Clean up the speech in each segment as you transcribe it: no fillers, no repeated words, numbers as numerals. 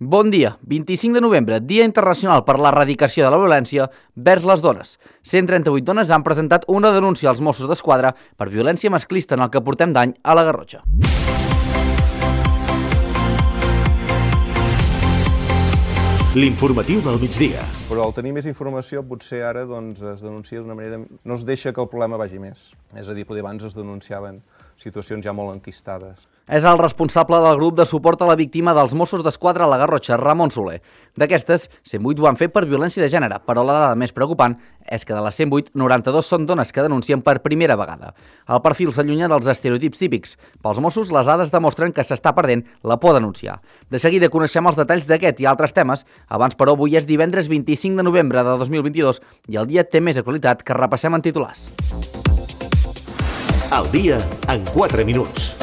Bon dia, 25 de novembre, Dia Internacional per l'Erradicació de la Violència vers les dones. 138 dones han presentat una denúncia als Mossos d'Esquadra per violència masclista en el que portem d'any a la Garrotxa. L'informatiu del migdia. Però al tenir més informació potser ara es denuncia d'una manera... No es deixa que el problema vagi més. És a dir, abans es denunciaven situacions ja molt enquistades. És el responsable del grup de suport a la víctima dels Mossos d'Esquadra a la Garrotxa, Ramon Soler. D'aquestes, 108 ho han fet per violència de gènere, però la dada més preocupant és que de les 108, 92 són dones que denuncien per primera vegada. El perfil s'allunya dels estereotips típics. Pels Mossos, les dades demostren que s'està perdent la por a denunciar. De seguida coneixem els detalls d'aquest i altres temes. Abans, però, avui és divendres 25 de novembre de 2022 i el dia té més actualitat que repassem en titulars. El dia en 4 minuts.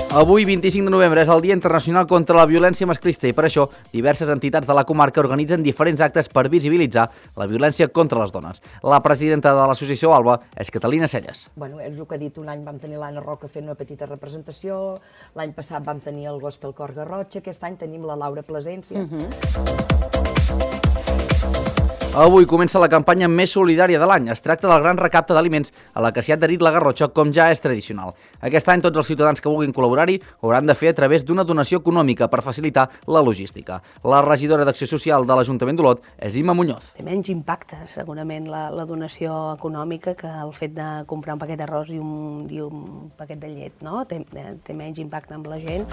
Avui, 25 de novembre, és el Dia Internacional contra la Violència Masclista i per això diverses entitats de la comarca organitzen diferents actes per visibilitzar la violència contra les dones. La presidenta de l'associació ALBA és Catalina Celles. És el que ha dit, un any vam tenir l'Anna Roca fent una petita representació, l'any passat vam tenir el Gospel Cor Garrotxa, aquest any tenim la Laura Plasència. Avui comença la campanya més solidària de l'any. Es tracta del gran recapte d'aliments a la que s'hi ha adherit la Garrotxa, com ja és tradicional. Aquest any tots els ciutadans que vulguin col·laborar-hi ho hauran de fer a través d'una donació econòmica per facilitar la logística. La regidora d'Acció Social de l'Ajuntament d'Olot és Imma Muñoz. Té menys impacte, segurament, la donació econòmica que el fet de comprar un paquet d'arròs i un paquet de llet, no? Té menys impacte amb la gent.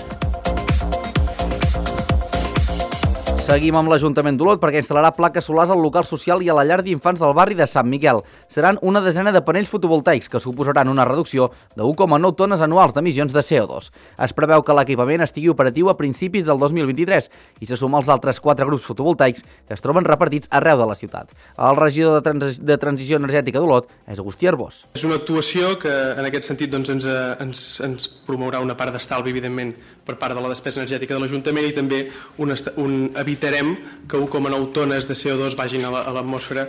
Seguim amb l'Ajuntament d'Olot perquè instal·larà plaques solars al local social i a la llar d'infants del barri de Sant Miquel. Seran una desena de panells fotovoltaics que suposaran una reducció de 1,9 tones anuals d'emissions de CO2. Es preveu que l'equipament estigui operatiu a principis del 2023 i se suma als altres 4 grups fotovoltaics que es troben repartits arreu de la ciutat. El regidor de Transició Energètica d'Olot és Agustí Arbós. És una actuació que en aquest sentit ens promourà una part d'estalvi, evidentment, per part de la despesa energètica de l'Ajuntament i també evitarem que 1,9 tones de CO2 vagin a l'atmosfera.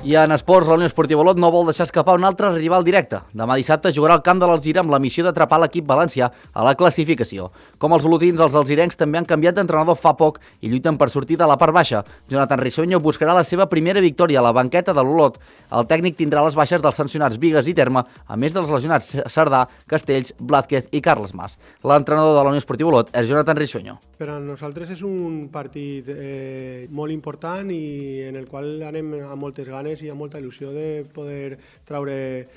I en esports, la Unió Esportiva Olot no vol deixar escapar un altre rival directe. Demà dissabte jugarà al camp de l'Alzira amb la missió d'atrapar l'equip valencià a la classificació. Com els olotins, els alzirencs també han canviat d'entrenador fa poc i lluiten per sortir de la part baixa. Jonathan Risueño buscarà la seva primera victòria a la banqueta de l'Olot. El tècnic tindrà les baixes dels sancionats Bigues i Terme, a més dels lesionats Cerdà, Castells, Blázquez i Carles Mas. L'entrenador de la Unió Esportiva Olot és Jonathan Risueño. Per a nosaltres és un partit molt important i en el qual anem amb moltes ganes i amb molta il·lusió de poder traure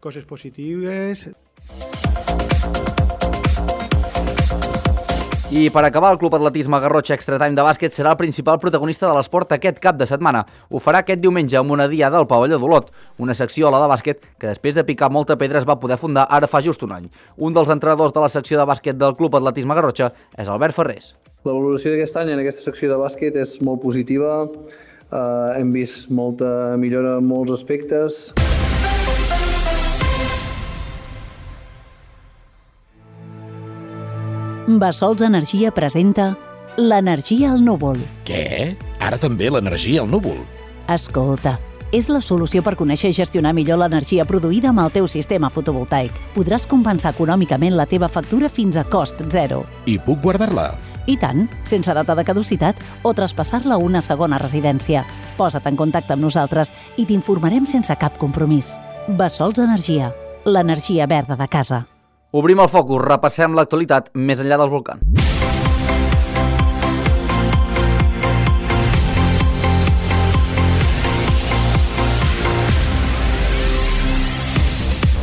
coses positives. I per acabar, el Club Atletisme Garrotxa Extra Time de bàsquet serà el principal protagonista de l'esport aquest cap de setmana. Ho farà aquest diumenge amb una diada al pavelló d'Olot, una secció a la de bàsquet que després de picar molta pedra es va poder fundar ara fa just un any. Un dels entrenadors de la secció de bàsquet del Club Atletisme Garrotxa és Albert Ferrés. La valoració d'aquest any en aquesta secció de bàsquet és molt positiva. Hem vist molta millora en molts aspectes. Bassols Energia presenta l'energia al núvol. Què? Ara també l'energia al núvol? Escolta, és la solució per conèixer i gestionar millor l'energia produïda amb el teu sistema fotovoltaic. Podràs compensar econòmicament la teva factura fins a cost zero. I puc guardar-la? I tant, sense data de caducitat o traspassar-la a una segona residència. Posa't en contacte amb nosaltres i t'informarem sense cap compromís. Bassols Energia, l'energia verda de casa. Obrim el focus, repassem l'actualitat més enllà dels volcans.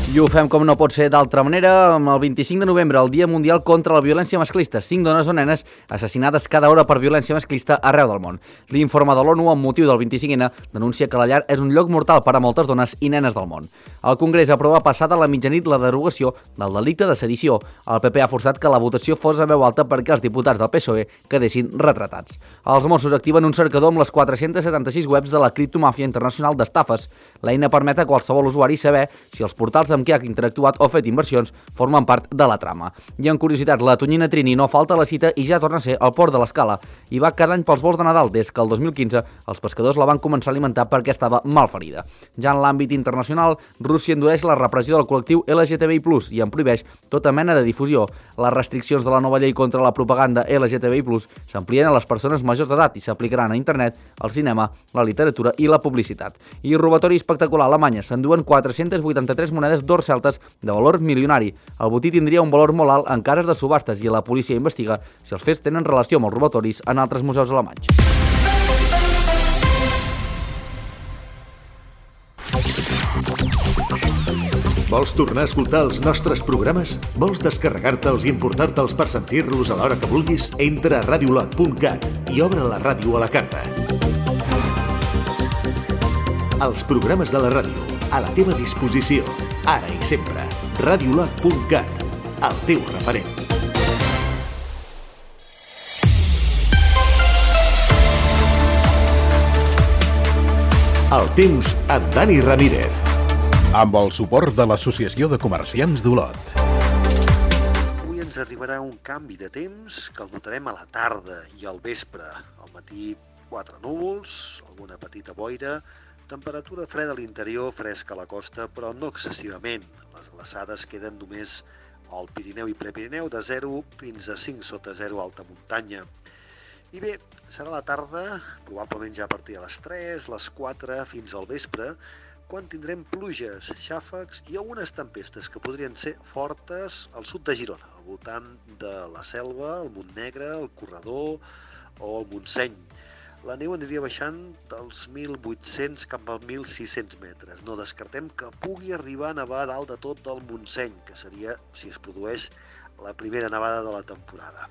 I ho fem com no pot ser d'altra manera, amb el 25 de novembre, el Dia Mundial contra la Violència Masclista. 5 dones o nenes assassinades cada hora per violència masclista arreu del món. L'informe de l'ONU amb motiu del 25N denuncia que la llar és un lloc mortal per a moltes dones i nenes del món. El Congrés aprova passada la mitjanit la derogació del delicte de sedició. El PP ha forçat que la votació fos a veu alta perquè els diputats del PSOE quedessin retratats. Els Mossos activen un cercador amb les 476 webs de la criptomàfia internacional d'estafes. L'eina permet a qualsevol usuari saber si els portals amb qui ha interactuat o fet inversions formen part de la trama. I en curiositat, la tonyina Trini no falta a la cita i ja torna a ser al port de l'Escala. I va cada any pels vols de Nadal des que el 2015 els pescadors la van començar a alimentar perquè estava malferida. Ja en l'àmbit internacional, Rússia endureix la repressió del col·lectiu LGTBI+, i en prohibeix tota mena de difusió. Les restriccions de la nova llei contra la propaganda LGTBI+, s'amplien a les persones majors d'edat i s'aplicaran a internet, al cinema, la literatura i la publicitat. I robatori espectacular a Alemanya, s'enduen 483 monedes d'or celtes de valor milionari. El botí tindria un valor molt alt en cases de subhastes i la policia investiga si els fets tenen relació amb els robatoris en altres museus alemanys. Vols tornar a escoltar els nostres programes? Vols descarregar-te'ls i importar-te'ls per sentir-los a l'hora que vulguis? Entra a radiolot.cat i obre la ràdio a la carta. Els programes de la ràdio, a la teva disposició, ara i sempre. radiolot.cat, el teu referent. El temps amb Dani Ramírez. Amb el suport de l'Associació de Comerciants d'Olot. Avui ens arribarà un canvi de temps que el notarem a la tarda i al vespre. Al matí 4 núvols, alguna petita boira, temperatura freda a l'interior, fresca a la costa, però no excessivament. Les glaçades queden només al Pirineu i Prepirineu de 0 fins a 5 sota 0 alta muntanya. I bé, serà la tarda, probablement ja a partir de les 3, les 4 fins al vespre, quan tindrem pluges, xàfecs i algunes tempestes que podrien ser fortes al sud de Girona, al voltant de la Selva, el Montnegre, el Corredor o el Montseny. La neu aniria baixant dels 1.800 cap als 1.600 metres. No descartem que pugui arribar a nevar a dalt de tot del Montseny, que seria, si es produeix, la primera nevada de la temporada.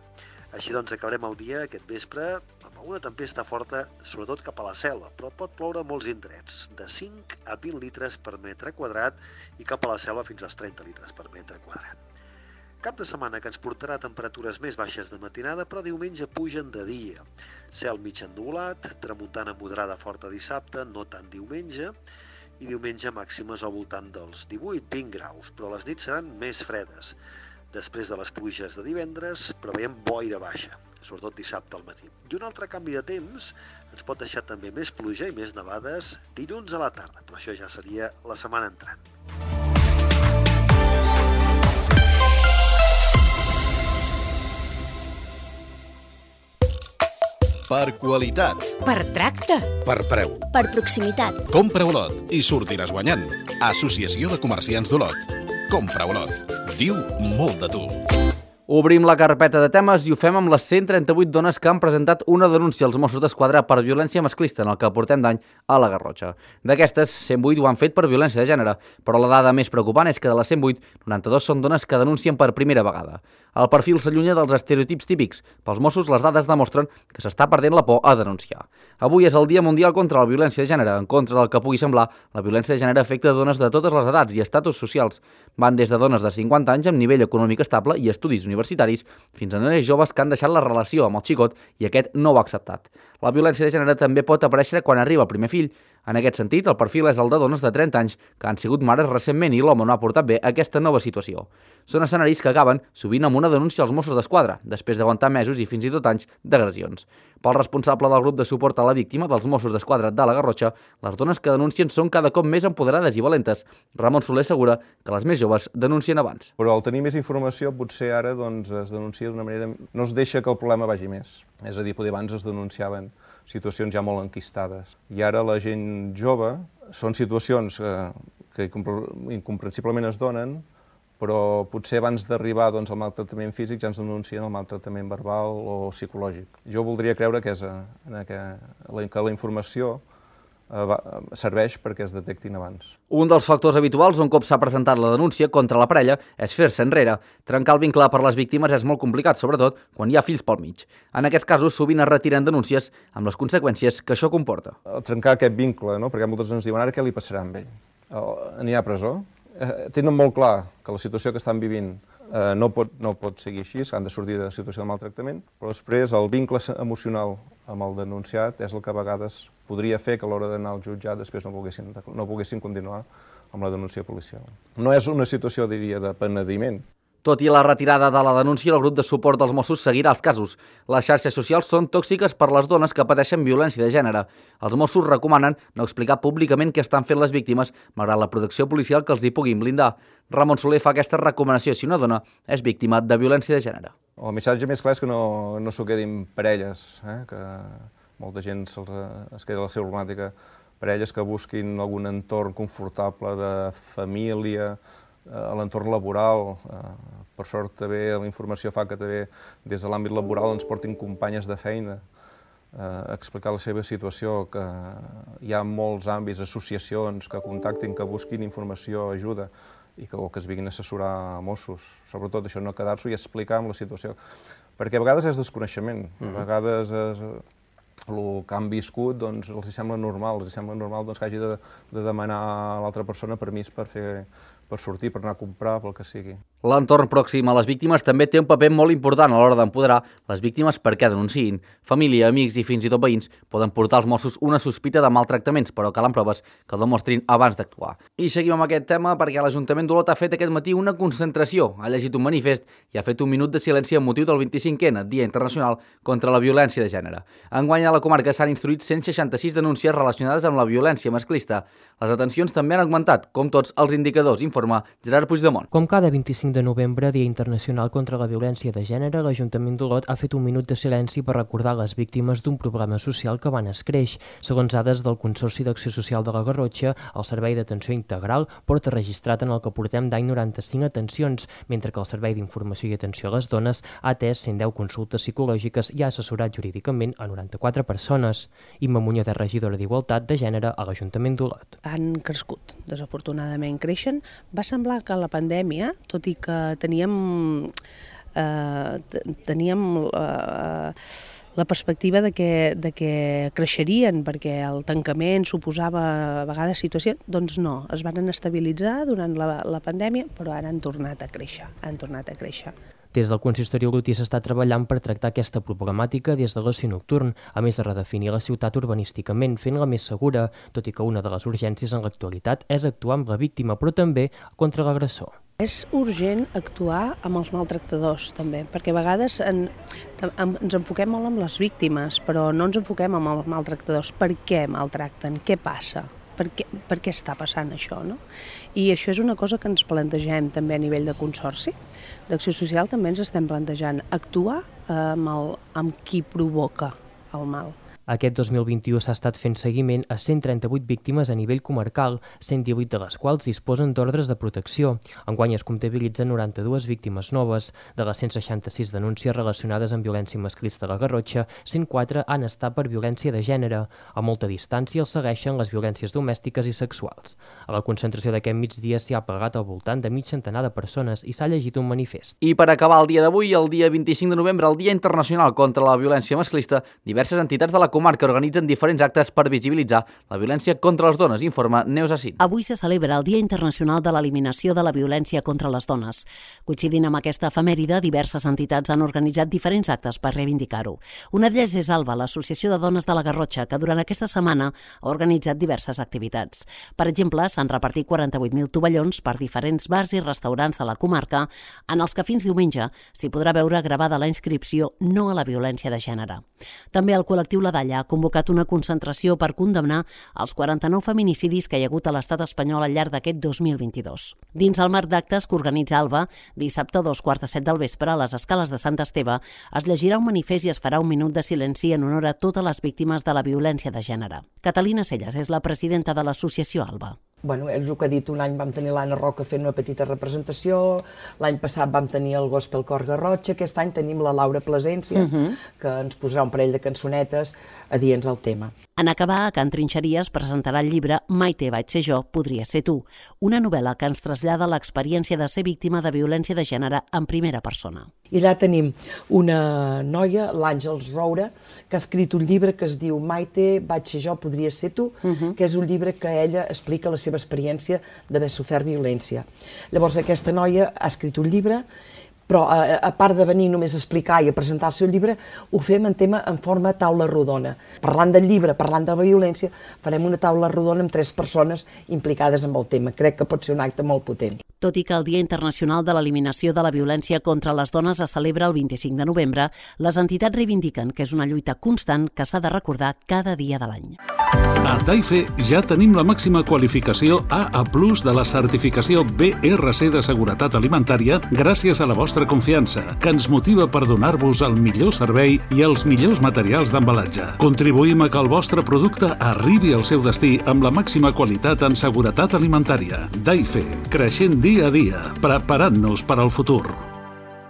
Així doncs acabarem el dia aquest vespre amb alguna tempesta forta, sobretot cap a la selva, però pot ploure a molts indrets, de 5 a 20 litres per metre quadrat i cap a la selva fins als 30 litres per metre quadrat. Cap de setmana que ens portarà temperatures més baixes de matinada, però diumenge pugen de dia. Cel mig ennuvolat, tramuntana moderada forta dissabte, no tant diumenge, i diumenge màximes al voltant dels 18-20 graus, però les nits seran més fredes. Després de les pluges de divendres, preveiem boira baixa, sobretot dissabte al matí. I un altre canvi de temps ens pot deixar també més pluja i més nevades dilluns a la tarda, però això ja seria la setmana entrant. Per qualitat. Per tracte. Per preu. Per proximitat. Compra Olot i sortiràs guanyant. Associació de Comerciants d'Olot. Compra Olot. Diu molt de tu. Obrim la carpeta de temes i ho fem amb les 138 dones que han presentat una denúncia als Mossos d'Esquadra per violència masclista en el que portem d'any a la Garrotxa. D'aquestes, 108 ho han fet per violència de gènere, però la dada més preocupant és que de les 108, 92 són dones que denuncien per primera vegada. El perfil s'allunya dels estereotips típics. Pels Mossos, les dades demostren que s'està perdent la por a denunciar. Avui és el Dia Mundial contra la Violència de Gènere. En contra del que pugui semblar, la violència de gènere afecta dones de totes les edats i estatus socials. Van des de dones de 50 anys amb nivell econòmic estable i estudis universitaris fins a nenes joves que han deixat la relació amb el xicot i aquest no ho ha acceptat. La violència de gènere també pot aparèixer quan arriba el primer fill. En aquest sentit, el perfil és el de dones de 30 anys que han sigut mares recentment i l'home no ha portat bé aquesta nova situació. Són escenaris que acaben sovint amb una denúncia als Mossos d'Esquadra, després d'aguantar mesos i fins i tot anys d'agressions. Pel responsable del grup de suport a la víctima dels Mossos d'Esquadra de la Garrotxa, les dones que denuncien són cada cop més empoderades i valentes. Ramon Soler assegura que les més joves denuncien abans. Però al tenir més informació, potser ara es denuncia d'una manera... No es deixa que el problema vagi més. És a dir, abans es denunciaven situacions ja molt enquistades. I ara la gent jove són situacions que incomprensiblement es donen, però potser abans d'arribar al maltractament físic ja ens denuncien el maltractament verbal o psicològic. Jo voldria creure que la informació serveix perquè es detectin abans. Un dels factors habituals un cop s'ha presentat la denúncia contra la parella és fer-se enrere. Trencar el vincle per les víctimes és molt complicat, sobretot quan hi ha fills pel mig. En aquests casos sovint es retiren denúncies amb les conseqüències que això comporta. Trencar aquest vincle, no? Perquè moltes ens diuen ara què li passarà amb ell? Anirà a presó? Tenen molt clar que la situació que estan vivint no pot seguir així, han de sortir de la situació de maltractament, però després el vincle emocional amb el denunciat és el que a vegades podria fer que a l'hora d'anar al jutjat després no poguessin continuar amb la denúncia policial. No és una situació, diria, de penediment. Tot i la retirada de la denúncia, el grup de suport dels Mossos seguirà els casos. Les xarxes socials són tòxiques per les dones que pateixen violència de gènere. Els Mossos recomanen no explicar públicament què estan fent les víctimes, malgrat la protecció policial que els hi puguin blindar. Ramon Soler fa aquesta recomanació si una dona és víctima de violència de gènere. El missatge més clar és que no s'ho quedin parelles, que molta gent es queda la seva problemàtica, parelles que busquin algun entorn confortable de família, a l'entorn laboral. Per sort també la informació fa que també des de l'àmbit laboral ens portin companyes de feina a explicar la seva situació, que hi ha molts àmbits, associacions que contactin, que busquin informació, ajuda, i que es vinguin a assessorar a Mossos. Sobretot això, no quedar-s'ho i explicar amb la situació. Perquè a vegades és desconeixement, a vegades el que han viscut els sembla normal, que hagi de demanar a l'altra persona permís per sortir, per anar a comprar, pel que sigui. L'entorn pròxim a les víctimes també té un paper molt important a l'hora d'empoderar les víctimes perquè denunciïn. Família, amics i fins i tot veïns poden portar als Mossos una sospita de maltractaments, però calen proves que ho demostrin abans d'actuar. I seguim amb aquest tema perquè l'Ajuntament d'Olot ha fet aquest matí una concentració, ha llegit un manifest i ha fet un minut de silenci amb motiu del 25è, Dia Internacional contra la Violència de Gènere. Enguany a la comarca s'han instruït 166 denúncies relacionades amb la violència masclista. Les detencions també han augmentat, com tots els indicadors, informa Gerard Puigdemont. Com cada 25 de novembre, Dia Internacional contra la Violència de Gènere, l'Ajuntament d'Olot ha fet un minut de silenci per recordar les víctimes d'un problema social que van escreix. Segons dades del Consorci d'Acció Social de la Garrotxa, el Servei d'Atenció Integral porta registrat en el que portem d'any 95 atencions, mentre que el Servei d'Informació i Atenció a les Dones ha atès 110 consultes psicològiques i ha assessorat jurídicament a 94 persones. Imma Muñoz, regidora d'Igualtat de Gènere a l'Ajuntament d'Olot. Han crescut, desafortunadament creixen. Va semblar que la pandèmia, tot i que teníem la perspectiva de que creixerien perquè el tancament suposava a vegades situació, doncs no, es van estabilitzar durant la pandèmia, però ara han tornat a créixer. Des del consistori olotí s'està treballant per tractar aquesta problemàtica des de l'oci nocturn, a més de redefinir la ciutat urbanísticament, fent-la més segura, tot i que una de les urgències en l'actualitat és actuar amb la víctima, però també contra l'agressor. És urgent actuar amb els maltractadors, també, perquè a vegades ens enfoquem molt amb les víctimes, però no ens enfoquem amb els maltractadors. Per què maltracten? Què passa? Per què està passant això, no? I això és una cosa que ens plantegem també a nivell de consorci. D'Acció Social també ens estem plantejant actuar amb qui provoca el mal. Aquest 2021 s'ha estat fent seguiment a 138 víctimes a nivell comarcal, 118 de les quals disposen d'ordres de protecció. Enguany es comptabilitzen 92 víctimes noves. De les 166 denúncies relacionades amb violència masclista a la Garrotxa, 104 han estat per violència de gènere. A molta distància els segueixen les violències domèstiques i sexuals. A la concentració d'aquest migdia s'hi ha plegat al voltant de mig centenar de persones i s'ha llegit un manifest. I per acabar el dia d'avui, el dia 25 de novembre, el Dia Internacional contra la Violència Masclista, diverses entitats de la comarca organitzen diferents actes per visibilitzar la violència contra les dones, informa Neus Assin. Avui se celebra el Dia Internacional de l'Eliminació de la Violència contra les Dones. Coincidint amb aquesta efemèride, diverses entitats han organitzat diferents actes per reivindicar-ho. Una d'elles és ALBA, l'Associació de Dones de la Garrotxa, que durant aquesta setmana ha organitzat diverses activitats. Per exemple, s'han repartit 48.000 tovallons per diferents bars i restaurants de la comarca, en els que fins diumenge s'hi podrà veure gravada la inscripció No a la violència de gènere. També el col·lectiu La Dalla ha convocat una concentració per condemnar els 49 feminicidis que hi ha hagut a l'estat espanyol al llarg d'aquest 2022. Dins el marc d'actes que organitza ALBA, dissabte a 2:45 del vespre a les escales de Sant Esteve es llegirà un manifest i es farà un minut de silenci en honor a totes les víctimes de la violència de gènere. Catalina Selles és la presidenta de l'associació ALBA. Bueno, és el que ha dit, un any vam tenir l'Anna Roca fent una petita representació, l'any passat vam tenir el Gospel Cor Garrotxa, aquest any tenim la Laura Plasència, que ens posarà un parell de cançonetes adients al tema. En acabar, a Can Trinxeries presentarà el llibre Maite, vaig ser jo, podria ser tu, una novel·la que ens trasllada l'experiència de ser víctima de violència de gènere en primera persona. I allà tenim una noia, l'Àngels Roura, que ha escrit un llibre que es diu Maite, vaig ser jo, podria ser tu, que és un llibre que ella explica la seva experiència d'haver sofert violència. Llavors aquesta noia ha escrit un llibre però a part de venir només a explicar i a presentar el seu llibre, ho fem en forma taula rodona. Parlant del llibre, parlant de la violència, farem una taula rodona amb 3 persones implicades en el tema. Crec que pot ser un acte molt potent. Tot i que el Dia Internacional de l'Eliminació de la Violència contra les Dones es celebra el 25 de novembre, les entitats reivindiquen que és una lluita constant que s'ha de recordar cada dia de l'any. A Daife ja tenim la màxima qualificació AA+ de la certificació BRC de seguretat alimentària gràcies a la vostra confiança, que ens motiva per donar-vos el millor servei i els millors materials d'embalatge. Contribuïm a que el vostre producte arribi al seu destí amb la màxima qualitat en seguretat alimentària. Daife, creixent dia a dia, preparant-nos per al futur.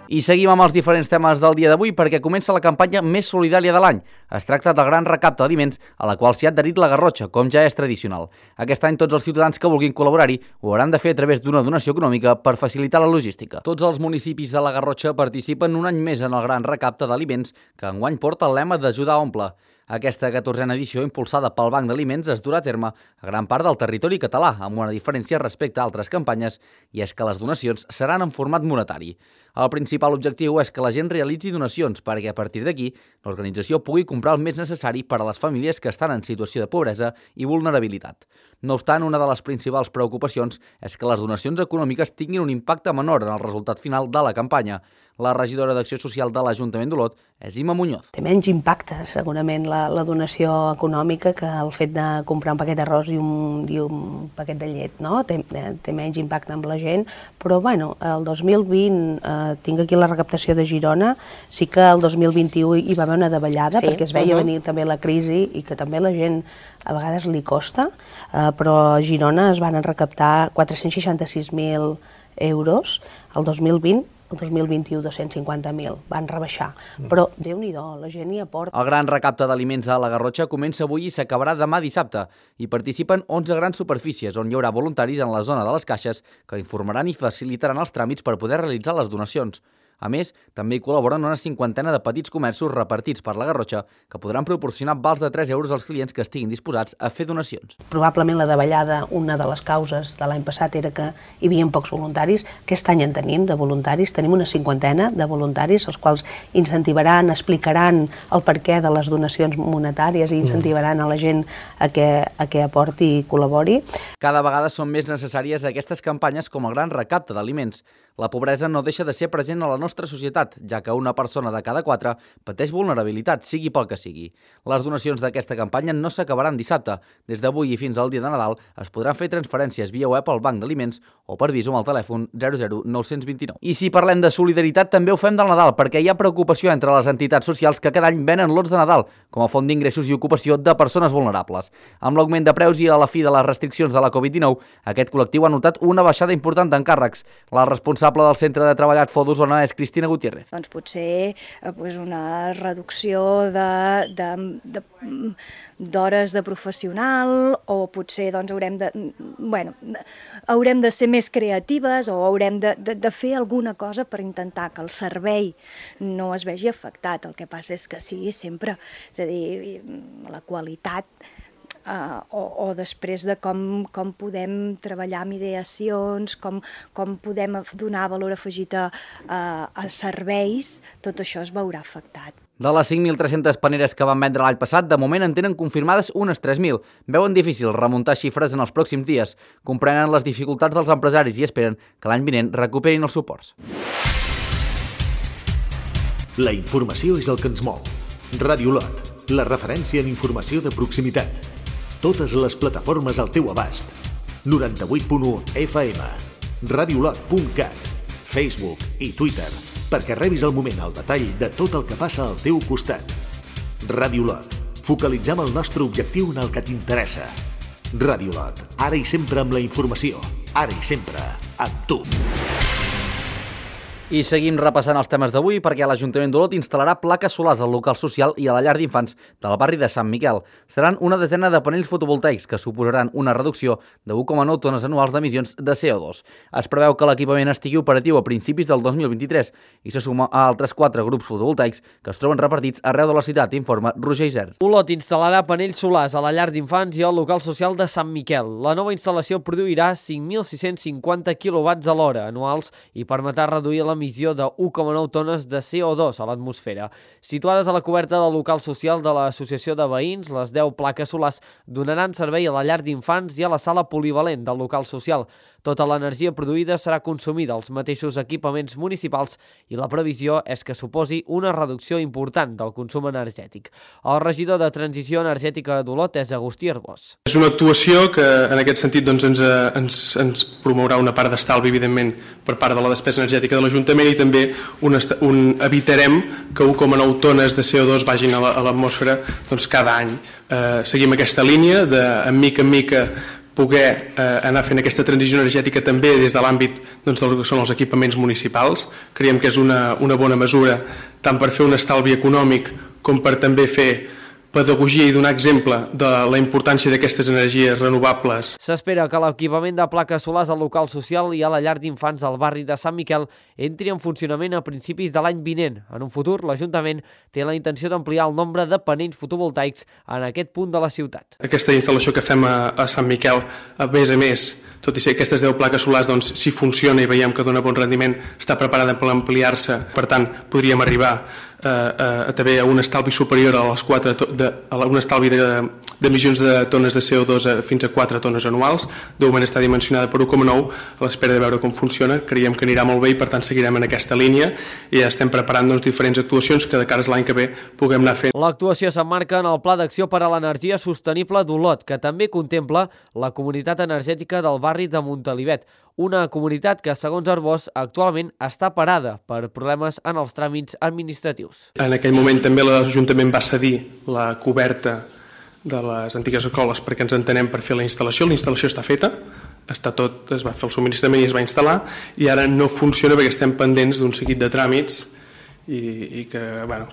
I seguim amb els diferents temes del dia d'avui perquè comença la campanya més solidària de l'any. Es tracta del gran recapte d'aliments a la qual s'hi ha adherit la Garrotxa, com ja és tradicional. Aquest any tots els ciutadans que vulguin col·laborar-hi ho hauran de fer a través d'una donació econòmica per facilitar la logística. Tots els municipis de la Garrotxa participen un any més en el gran recapte d'aliments que enguany porta el lema d'ajudar a omplir. Aquesta 14a edició, impulsada pel Banc d'Aliments, es durà a terme a gran part del territori català, amb una diferència respecte a altres campanyes, i és que les donacions seran en format monetari. El principal objectiu és que la gent realitzi donacions perquè, a partir d'aquí, l'organització pugui comprar el més necessari per a les famílies que estan en situació de pobresa i vulnerabilitat. No obstant, una de les principals preocupacions és que les donacions econòmiques tinguin un impacte menor en el resultat final de la campanya. La regidora d'Acció Social de l'Ajuntament d'Olot és Imma Muñoz. Té menys impacte, segurament, la donació econòmica que el fet de comprar un paquet d'arròs i un paquet de llet, no? Té menys impacte amb la gent, però bueno, el 2020, tinc aquí la recaptació de Girona, sí que el 2021 hi va haver una davallada, perquè es veia venir també la crisi i que també la gent a vegades li costa, però a Girona es van recaptar 466.000 euros el 2020, el 2021 250.000, van rebaixar, però Déu-n'hi-do, la gent hi aporta. El gran recapte d'aliments a la Garrotxa comença avui i s'acabarà demà dissabte. Hi participen 11 grans superfícies on hi haurà voluntaris en la zona de les caixes que informaran i facilitaran els tràmits per poder realitzar les donacions. A més, també hi col·laboren una 50ena de petits comerços repartits per la Garrotxa que podran proporcionar vals de 3 euros als clients que estiguin disposats a fer donacions. Probablement la davallada, una de les causes de l'any passat era que hi havia pocs voluntaris. Aquest any en tenim de voluntaris, tenim una 50ena de voluntaris, els quals incentivaran, explicaran el perquè de les donacions monetàries i incentivaran a la gent a que aporti i col·labori. Cada vegada són més necessàries aquestes campanyes com el gran recapte d'aliments. La pobresa no deixa de ser present a la nostra societat, ja que una persona de cada 4 pateix vulnerabilitat, sigui pel que sigui. Les donacions d'aquesta campanya no s'acabaran dissabte. Des d'avui i fins al dia de Nadal es podran fer transferències via web al Banc d'Aliments o per Visum al telèfon 00929. I si parlem de solidaritat, també ho fem del Nadal, perquè hi ha preocupació entre les entitats socials que cada any venen lots de Nadal com a font d'ingressos i ocupació de persones vulnerables. Amb l'augment de preus i a la fi de les restriccions de la Covid-19, aquest col·lectiu ha notat una baixada important d'encàrrecs. La responsable del Centre de Treball Adfo d'Osona és Cristina Gutiérrez. Doncs potser una reducció d'hores de professional o potser haurem de ser més creatives o haurem de fer alguna cosa per intentar que el servei no es vegi afectat. El que passa és que sigui sempre, és a dir, la qualitat o després de com podem treballar amb ideacions, com podem donar valor afegit a serveis, tot això es veurà afectat. De les 5.300 paneres que van vendre l'any passat, de moment en tenen confirmades unes 3.000. Veuen difícil remuntar xifres en els pròxims dies. Comprenen les dificultats dels empresaris i esperen que l'any vinent recuperin els suports. La informació és el que ens mou. Ràdio Olot, la referència en informació de proximitat. Totes les plataformes al teu abast. 98.1 FM, radiolot.cat, Facebook i Twitter, perquè rebis al moment el detall de tot el que passa al teu costat. Ràdio Olot, focalitzem el nostre objectiu en el que t'interessa. Ràdio Olot, ara i sempre amb la informació, ara i sempre amb tu. I seguim repassant els temes d'avui perquè l'Ajuntament d'Olot instal·larà plaques solars al local social i a la llar d'infants del barri de Sant Miquel. Seran una desena de panells fotovoltaics que suposaran una reducció de 1,9 tones anuals d'emissions de CO2. Es preveu que l'equipament estigui operatiu a principis del 2023 i se suma a altres 4 grups fotovoltaics que es troben repartits arreu de la ciutat, informa Roger Isern. Olot instal·larà panells solars a la llar d'infants i al local social de Sant Miquel. La nova instal·lació produirà 5.650 kW a l'hora anuals i permetrà reduir l'emissió l'emissió de 1,9 tones de CO2 a l'atmosfera. Situades a la coberta del local social de l'Associació de Veïns, les 10 plaques solars donaran servei a la llar d'infants i a la sala polivalent del local social. Tota l'energia produïda serà consumida als mateixos equipaments municipals i la previsió és que suposi una reducció important del consum energètic. El regidor de Transició Energètica d'Olot és Agustí Arbós. És una actuació que en aquest sentit ens promourà una part d'estalvi, evidentment, per part de la despesa energètica de l'Ajuntament i també evitarem que 1,9 tones de CO2 vagin a l'atmosfera cada any. Seguim aquesta línia de, en mica, poder anar fent aquesta transició energètica també des de l'àmbit del que són els equipaments municipals. Creiem que és una bona mesura tant per fer un estalvi econòmic com per també fer pedagogia i donar exemple de la importància d'aquestes energies renovables. S'espera que l'equipament de plaques solars al local social i a la llar d'infants del barri de Sant Miquel entri en funcionament a principis de l'any vinent. En un futur, l'Ajuntament té la intenció d'ampliar el nombre de panells fotovoltaics en aquest punt de la ciutat. Aquesta instal·lació que fem a Sant Miquel, a més, tot i ser aquestes 10 plaques solars, si funciona i veiem que dona bon rendiment, està preparada per ampliar-se. Per tant, podríem arribar també a un estalvi superior a un estalvi d'emissions de tones de CO2 fins a 4 tones anuals. De moment està dimensionada per 1,9, a l'espera de veure com funciona. Creiem que anirà molt bé i per tant seguirem en aquesta línia i ja estem preparant diferents actuacions que de cara a l'any que ve puguem anar fent. L'actuació s'emmarca en el Pla d'Acció per a l'Energia Sostenible d'Olot, que també contempla la comunitat energètica del barri de Montalivet, una comunitat que, segons Arbós, actualment està parada per problemes en els tràmits administratius. En aquell moment també l'Ajuntament va cedir la coberta de les antigues escoles perquè ens entenem per fer la instal·lació. La instal·lació està feta, es va fer el subministrament i es va instal·lar i ara no funciona perquè estem pendents d'un seguit de tràmits i que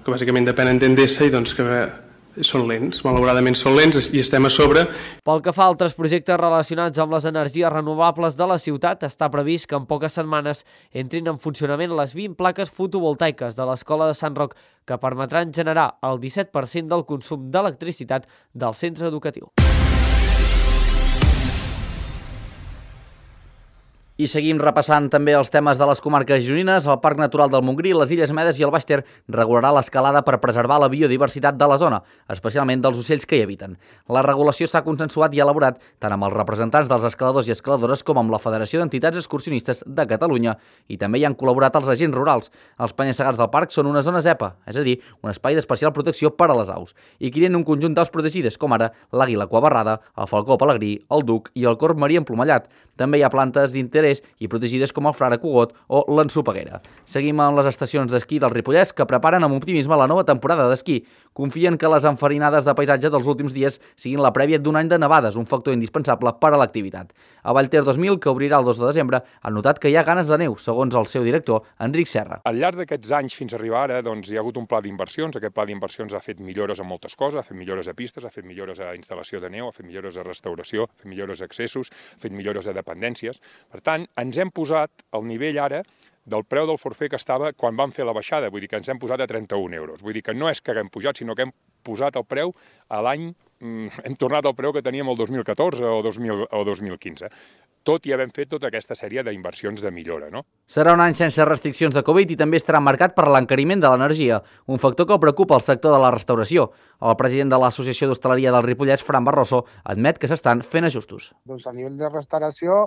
bàsicament depenen d'Endesa i que són lents, malauradament són lents i estem a sobre. Pel que fa a altres projectes relacionats amb les energies renovables de la ciutat, està previst que en poques setmanes entrin en funcionament les 20 plaques fotovoltaiques de l'Escola de Sant Roc, que permetran generar el 17% del consum d'electricitat del centre educatiu. I seguim repassant també els temes de les comarques gironines. El Parc Natural del Montgrí, les Illes Medes i el Baix Ter regularà l'escalada per preservar la biodiversitat de la zona, especialment dels ocells que hi habiten. La regulació s'ha consensuat i elaborat tant amb els representants dels escaladors i escaladores com amb la Federació d'Entitats Excursionistes de Catalunya i també hi han col·laborat els agents rurals. Els penya-segats del parc són una zona EPA, és a dir, un espai d'especial protecció per a les aus, i crien un conjunt d'aus protegides com ara l'àguila cuabarrada, el falcó pelegrí, el duc i el corb marí emplomallat. També hi ha plantes d'interès i protegides com el frare cugot o l'ensopeguera. Seguim amb les estacions d'esquí del Ripollès que preparen amb optimisme la nova temporada d'esquí. Confien que les enfarinades de paisatge dels últims dies siguin la prèvia d'un any de nevades, un factor indispensable per a l'activitat. A Vallter 2000, que obrirà el 2 de desembre, han notat que hi ha ganes de neu, segons el seu director, Enric Serra. Al llarg d'aquests anys fins a arribar ara hi ha hagut un pla d'inversions. Aquest pla d'inversions ha fet millores a moltes coses, ha fet millores a pistes, ha fet millores a instal·lació de neu, ha fet millores a restauració, ha fet millores a accessos, ha fet millores a dependències. Per tant, ens hem posat al nivell ara del preu del forfait que estava quan vam fer la baixada, vull dir que ens hem posat a 31 euros. Vull dir que no és que haguem pujat, sinó que hem posat el preu a l'any, hem tornat al preu que teníem el 2014 o 2015. Tot i havent fet tota aquesta sèrie d'inversions de millora, no? Serà un any sense restriccions de Covid i també estarà marcat per l'encariment de l'energia, un factor que preocupa el sector de la restauració. El president de l'Associació d'Hostaleria del Ripollès, Fran Barroso, admet que s'estan fent ajustos. A nivell de restauració,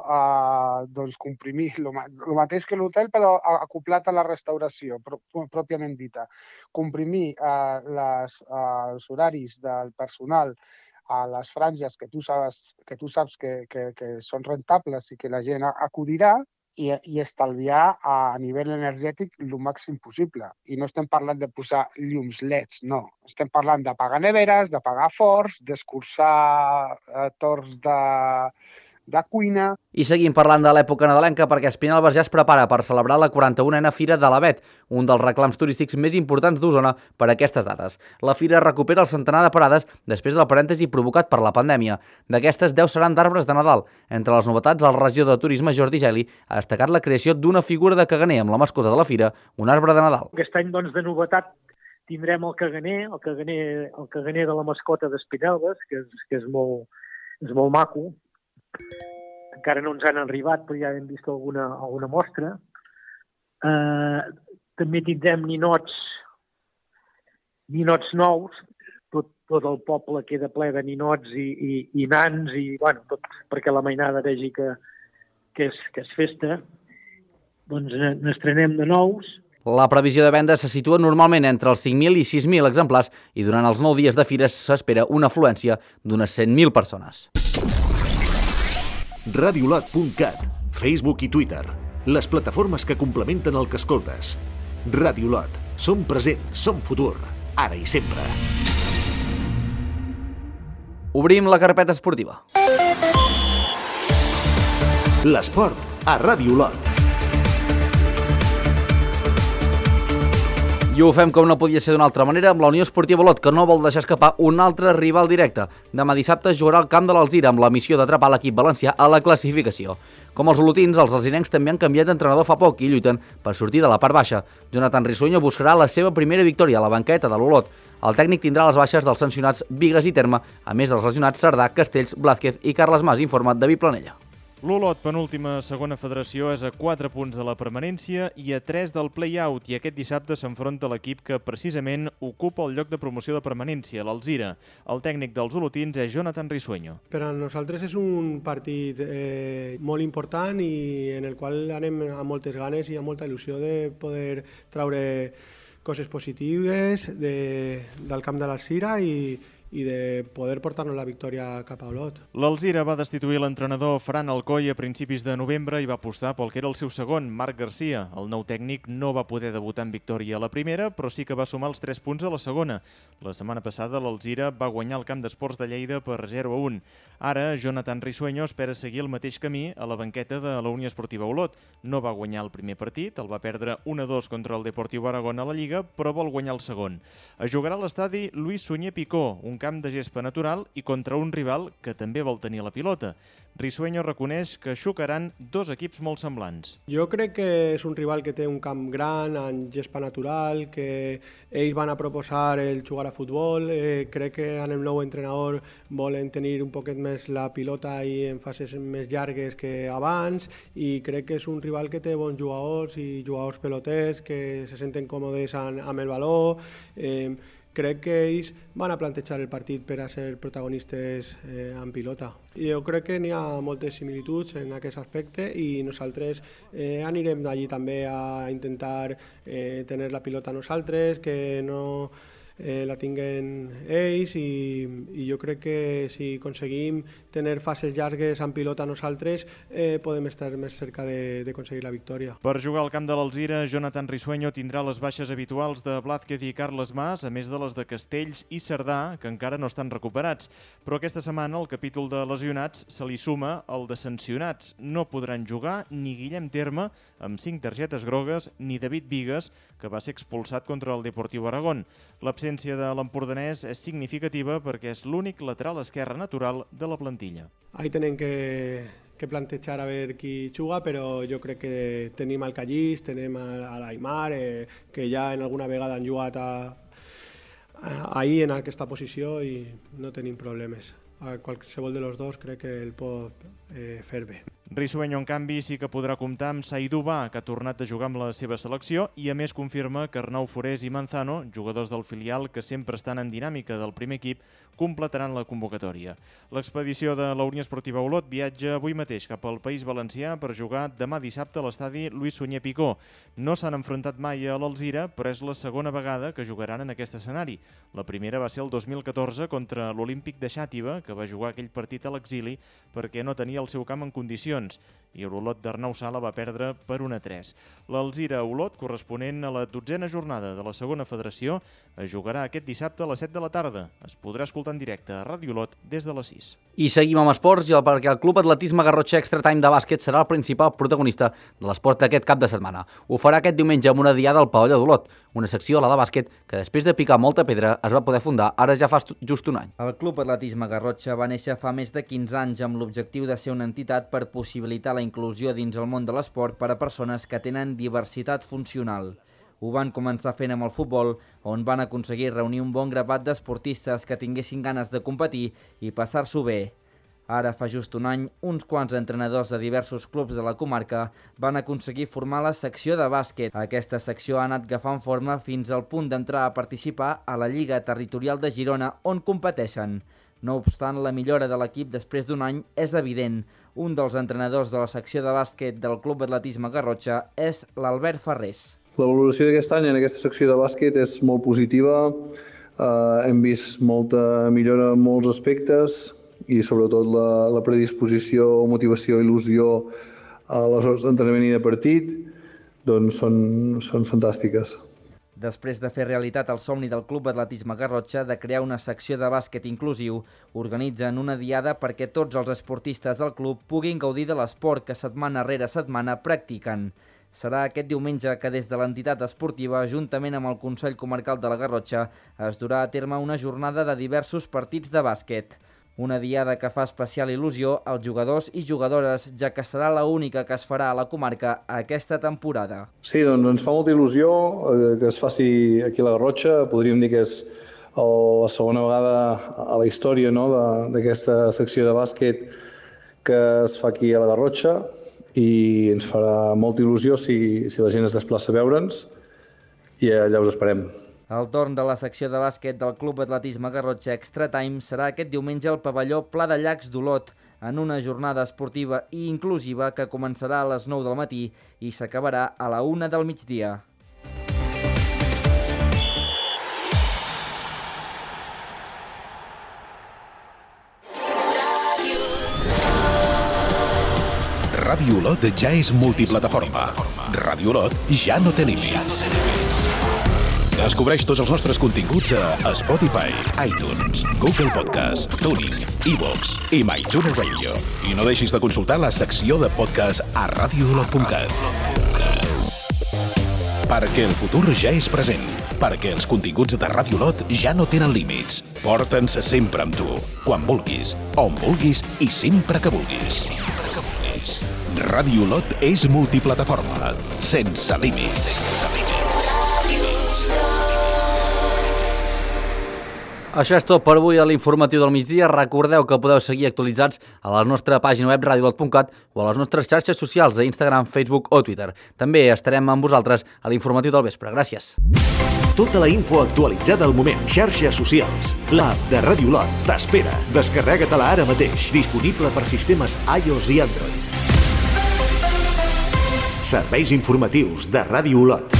comprimir el mateix que l'hotel, però acoplat a la restauració, pròpiament dita. Comprimir els horaris del personal a les franges que tu saps que són rentables i que la gent acudirà i estalviar a nivell energètic el màxim possible. I no estem parlant de posar llums LEDs, no. Estem parlant de pagar neveres, de pagar forns, d'escurçar torns de cuina. I seguim parlant de l'època nadalenca perquè Espinelves ja es prepara per celebrar la 41a Fira de l'Avet, un dels reclams turístics més importants d'Osona per a aquestes dates. La fira recupera el centenar de parades després del parèntesi provocat per la pandèmia. D'aquestes, 10 seran d'arbres de Nadal. Entre les novetats, el regidor de Turisme, Jordi Geli, ha destacat la creació d'una figura de caganer amb la mascota de la fira, un arbre de Nadal. Aquest any, de novetat, tindrem el caganer de la mascota d'Espinelves, que és molt maco. Encara no ens han arribat, però ja hem vist alguna mostra. També tindrem ninots nous, tot el poble queda ple de ninots i nans, i bueno, tot perquè la mainada vegi que és festa. Doncs n'estrenem de nous. La previsió de venda se situa normalment entre els 5.000 i 6.000 exemplars i durant els 9 dies de fires s'espera una afluència d'unes 100.000 persones. Radiolot.cat, Facebook i Twitter, les plataformes que complementen el que escoltes. Radiolot, som present, som futur, ara i sempre. Obrim la carpeta esportiva. L'esport a Radiolot. I ho fem com no podia ser d'una altra manera amb la Unió Esportiva Olot, que no vol deixar escapar un altre rival directe. Demà dissabte jugarà al camp de l'Alzira amb la missió d'atrapar l'equip valencià a la classificació. Com els olotins, els alzirencs també han canviat d'entrenador fa poc i lluiten per sortir de la part baixa. Jonathan Risueño buscarà la seva primera victòria a la banqueta de l'Olot. El tècnic tindrà les baixes dels sancionats Bigues i Terme, a més dels lesionats Cerdà, Castells, Blázquez i Carles Mas, informa David Planella. L'Olot, penúltima segona federació, és a 4 punts de la permanència i a 3 del play-out, i aquest dissabte s'enfronta l'equip que precisament ocupa el lloc de promoció de permanència, l'Alzira. El tècnic dels olotins és Jonathan Risueño. Per a nosaltres és un partit molt important i en el qual anem amb moltes ganes i amb molta il·lusió de poder traure coses positives del camp de l'Alzira i de poder portar-nos la victòria cap a Olot. L'Alzira va destituir l'entrenador Fran Alcoy a principis de novembre i va apostar pel que era el seu segon, Marc Garcia. El nou tècnic no va poder debutar en victòria a la primera, però sí que va sumar els 3 punts a la segona. La setmana passada l'Alzira va guanyar el camp d'esports de Lleida per 0-1. Ara, Jonathan Risueño espera seguir el mateix camí a la banqueta de la Unió Esportiva Olot. No va guanyar el primer partit, el va perdre 1-2 contra el Deportiu Aragón a la Lliga, però vol guanyar el segon. Es jugarà a l'estadi Luis Sunyer Picó, un camp de gespa natural i contra un rival que també vol tenir la pilota. Risueño reconeix que xocaran 2 equips molt semblants. Jo crec que és un rival que té un camp gran, en gespa natural, que ells van a proposar el jugar a futbol. Crec que amb el nou entrenador volen tenir un poquet més la pilota i en fases més llargues que abans, i crec que és un rival que té bons jugadors i jugadors peloters que se senten còmodes amb el valor. Crec que ells van a plantejar el partit per a ser protagonistes en pilota. Jo crec que n'hi ha moltes similituds en aquest aspecte i nosaltres anirem allí també a intentar tenir la pilota nosaltres, que no la tinguen ells, i jo crec que si aconseguim tenir fases llargues en pilota nosaltres podem estar més cerca d'aconseguir la victòria. Per jugar al camp de l'Alzira, Jonathan Risueño tindrà les baixes habituals de Blázquez i Carles Mas, a més de les de Castells i Cerdà, que encara no estan recuperats. Però aquesta setmana el capítol de lesionats se li suma el de sancionats. No podran jugar ni Guillem Terme, amb 5 targetes grogues, ni David Bigues, que va ser expulsat contra el Deportiu Aragón. L'absència de l'empordanès és significativa perquè és l'únic lateral esquerre natural de la plantilla. Ahí tenen que plantejar a veure qui juga, però jo crec que tenim el Callís, tenim a l'Aimar, que ja en alguna vegada han jugat ahir en aquesta posició i no tenim problemes. A qualsevol de los dos crec que el pot fer bé. Risueño, en canvi, sí que podrà comptar amb Saïdou Ba, que ha tornat a jugar amb la seva selecció, i a més confirma que Arnau Forés i Manzano, jugadors del filial que sempre estan en dinàmica del primer equip, completaran la convocatòria. L'expedició de la Unió Esportiva Olot viatja avui mateix cap al País Valencià per jugar demà dissabte a l'estadi Luis Sunyer Picó. No s'han enfrontat mai a l'Alzira, però és la segona vegada que jugaran en aquest escenari. La primera va ser el 2014 contra l'Olímpic de Xàtiva, que va jugar aquell partit a l'exili perquè no tenia el seu camp en condicions, i l'Olot d'Arnau Sala va perdre per 1-3. L'Alzira-Olot, corresponent a la 12a jornada de la segona federació, es jugarà aquest dissabte a les 7 de la tarda. Es podrà escoltar en directe a Ràdio Olot des de les 6. I seguim amb esports, perquè el Club Atletisme Garrotxa Extra Time de bàsquet serà el principal protagonista de l'esport d'aquest cap de setmana. Ho farà aquest diumenge amb una diada al pavelló d'Olot, una secció, la de bàsquet, que després de picar molta pedra es va poder fundar ara ja fa just un any. El Club Atletisme Garrotxa va néixer fa més de 15 anys amb l'objectiu de ser una entitat per possibilitar la inclusió dins el món de l'esport per a persones que tenen diversitat funcional. Ho van començar fent amb el futbol, on van aconseguir reunir un bon grapat d'esportistes que tinguessin ganes de competir i passar-s'ho bé. Ara fa just un any, uns quants entrenadors de diversos clubs de la comarca van aconseguir formar la secció de bàsquet. Aquesta secció ha anat agafant forma fins al punt d'entrar a participar a la Lliga Territorial de Girona, on competeixen. No obstant, la millora de l'equip després d'un any és evident. Un dels entrenadors de la secció de bàsquet del Club Atletisme Garrotxa és l'Albert Ferrés. La valoració d'aquest any en aquesta secció de bàsquet és molt positiva. Hem vist molta millora en molts aspectes i sobretot la predisposició, motivació i il·lusió a les hores d'entrenament i de partit doncs són fantàstiques. Després de fer realitat el somni del Club Atletisme Garrotxa de crear una secció de bàsquet inclusiu, organitzen una diada perquè tots els esportistes del club puguin gaudir de l'esport que setmana rere setmana practiquen. Serà aquest diumenge que des de l'entitat esportiva, juntament amb el Consell Comarcal de la Garrotxa, es durà a terme una jornada de diversos partits de bàsquet. Una diada que fa especial il·lusió als jugadors i jugadores, ja que serà l'única que es farà a la comarca aquesta temporada. Sí, doncs ens fa molta il·lusió que es faci aquí a la Garrotxa. Podríem dir que és la segona vegada a la història d'aquesta secció de bàsquet que es fa aquí a la Garrotxa i ens farà molta il·lusió si la gent es desplaça a veure'ns i allà us esperem. El torn de la secció de bàsquet del Club Atletisme Garrotxa Extra Time serà aquest diumenge al pavelló Pla de Llacs d'Olot, en una jornada esportiva i inclusiva que començarà a les 9 del matí i s'acabarà a la 1 del migdia. Ràdio Olot ja és multiplataforma. Ràdio Olot ja no té límits. Descobreix tots els nostres continguts a Spotify, iTunes, Google Podcast, TuneIn, iVoox i MyTuner Radio. I no deixis de consultar la secció de podcast a radioolot.cat. Perquè el futur ja és present. Perquè els continguts de Ràdio Olot ja no tenen límits. Porta'ns sempre amb tu, quan vulguis, on vulguis i sempre que vulguis. Ràdio Olot és multiplataforma, sense límits. Això és tot per avui a l'informatiu del migdia. Recordeu que podeu seguir actualitzats a la nostra pàgina web radioolot.cat o a les nostres xarxes socials a Instagram, Facebook o Twitter. També estarem amb vosaltres a l'informatiu del vespre. Gràcies. Tota la info actualitzada al moment. Xarxes socials. L'app de Ràdio Olot t'espera. Descarrega-te-la ara mateix. Disponible per sistemes iOS i Android. Serveis informatius de Ràdio Olot.